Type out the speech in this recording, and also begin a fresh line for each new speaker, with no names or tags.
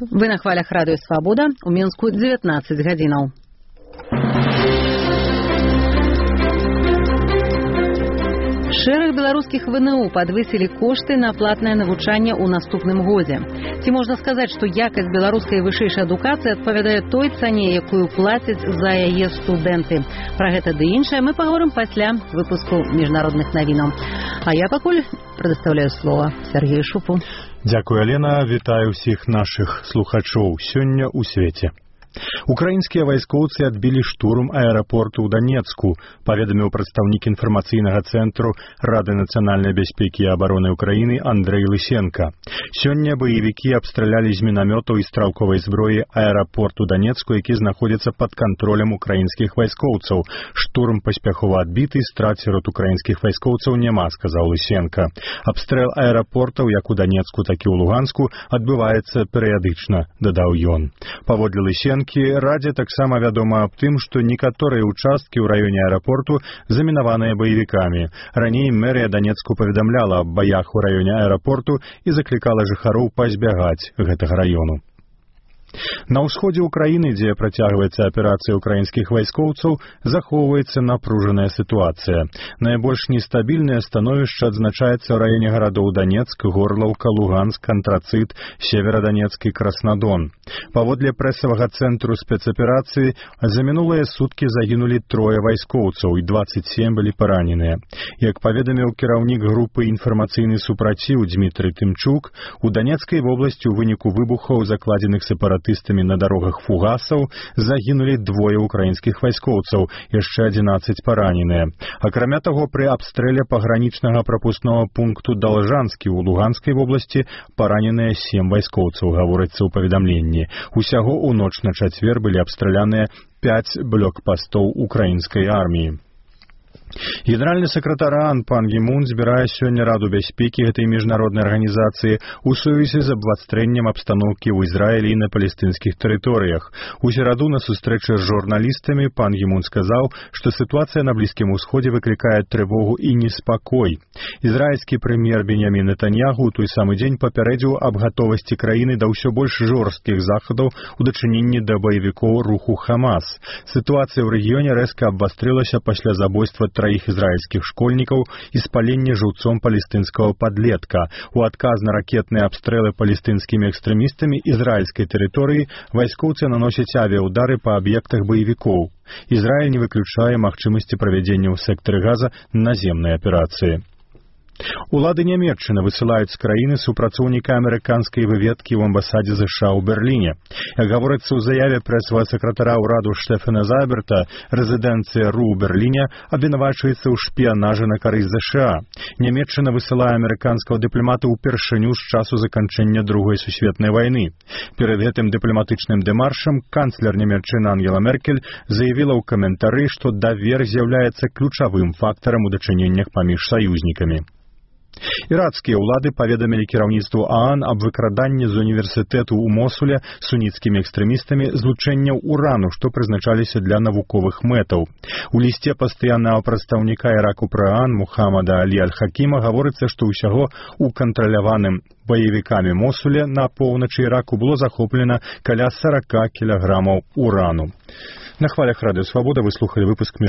Вы на хвалях радыё «Свабода», у Мінску 19 гадзінаў. Шэраг беларускіх ВНУ падвысілі кошты на платнае навучанне ў наступным годзе. Ці можна сказаць, што якасць беларускай вышэйшай адукацыі адпавядае той цане, якую плацяць за яе студэнты. Пра гэта ды іншае мы паговорым пасля выпуску міжнародных навінаў. А я пакуль прадастаўляю слова Сергею Шупу.
Дзякуй, Алена. Вітаю ўсіх нашых слухачоў сёння ў свеце. Украінскія вайскоўцы адбілі штурм аэрапорту ў Данецку, паведаміў прадстаўнік інфармацыйнага цэнтру Рады нацыянальнай бяспекі і абароны Украіны Андрэй Лысенка. Сёння баевікі абстралялі з мінамётаў і стралковай зброі аэрапорт у Данецку, які знаходзіцца пад кантролем украінскіх вайскоўцаў. Штурм паспяхова адбіты, страт сярод украінскіх вайскоўцаў няма, сказаў Лысенка. Абстрэл аэрапортаў як у Данецку, так і ў Луганску адбываецца перыядычна, дадаў ён. Паводле Лысенка, Радзе таксама вядома аб тым, што некаторыя ўчасткі ў раёне аэрапорту замінаваныя баевікамі. Раней мэрыя Данецку паведамляла аб баях у раёне аэрапорту і заклікала жыхароў пазбягаць гэтага раёну. На ўсходзе ўкраіны, дзе працягваецца аперацыя украінскіх вайскоўцаў, захоўваецца напружаная сітуацыя. Найбольш нестабільнае становішча адзначаецца ў раёне гарадоў Данецк, Горлаўка, Луганск, Антрацыт, Северадонецк і Краснадон. Паводле прэсавага цэнтру спецаперацыі за мінулыя суткі загінулі 3 вайскоўцаў і 27 былі параненыя. Як паведаміў кіраўнік групы «Інфармацыйны супраціў» Дмітрый Тымчук, у Данецкай вобласці ў выніку выбухаў, закладзеных сепаратыстамі на дарогах фугасаў, загінулі 2 украінскіх вайскоўцаў, яшчэ 11 параненыя. Акрамя таго, пры абстрэле пагранічнага прапускнога пункту Должанскі ў Луганскай вобласці параненыя 7 вайскоўцаў, гаворыцца ў паведамленні. Усяго ў ноч на чацвер былі абстраляныя 5 блокпастоў украінскай арміі. Генеральны сакратар ААН Пан Гі Мун збірае сёння Раду бяспекі гэтай міжнароднай арганізацыі ў сувязі з абвастрэннем абстаноўкі ў Ізраілі і на палестынскіх тэрыторыях. У сераду на сустрэчы з журналістамі Пан Гі Мун сказаў, што сітуацыя на Блізкім Усходзе выклікае трывогу і неспакой. Ізраільскі прэм'ер Беньямін Нетаньяху ў той самы дзень папярэдзіў аб гатовасці краіны да ўсё больш жорсткіх захадаў у дачыненні да баевікоў руху Хамас. Сітуацыя ў рэгіёне рэзка абвастрылася пасля забойства 3 ізраільскіх школьнікаў і спалення жыўцом палестынскага падлетка. У адказ на ракетныя абстрэлы палестынскімі экстрэмістамі ізраільскай тэрыторыі вайскоўцы наносяць авіяудары па аб'ектах баевікоў. Ізраіль не выключае магчымасці правядзення ў сектары Газа наземнай аперацыі. Улады Нямецчыны высылаюць з краіны супрацоўніка амерыканскай выведкі ў амбасадзе США ў Берліне. Як гаворыцца ў заяве прэсавага сакратара ўраду Штефана Зайберта, рэзідэнцыя РУ ў Берліне абвінавачваецца ў шпіянажы на карысць США. Нямецчына высылае амерыканскага дыпламата ўпершыню з часу заканчэння Другой сусветнай вайны. Перад гэтым дыпламатычным дэмаршам канцлер Нямецчыны Ангела Меркель заявіла ў каментары, што давер з'яўляецца ключавым фактарам у дачыненнях паміж саюзнікамі. Іракскія ўлады паведамілі кіраўніцтву ААН аб выкраданні з універсітэту ў Мосуле суніцкімі экстрэмістамі злучэнняў урану, што прызначаліся для навуковых мэтаў. У лісце пастаяннага прадстаўніка Іраку пры ААН Мухаммада Алі Аль-Хакіма гаворыцца, што ўсяго ў кантраляваным баевікамі Мосуле на поўначы Іраку было захоплена каля 40 кілаграмаў урану. На хвалях радыё «Свабода» вы слухалі выпуск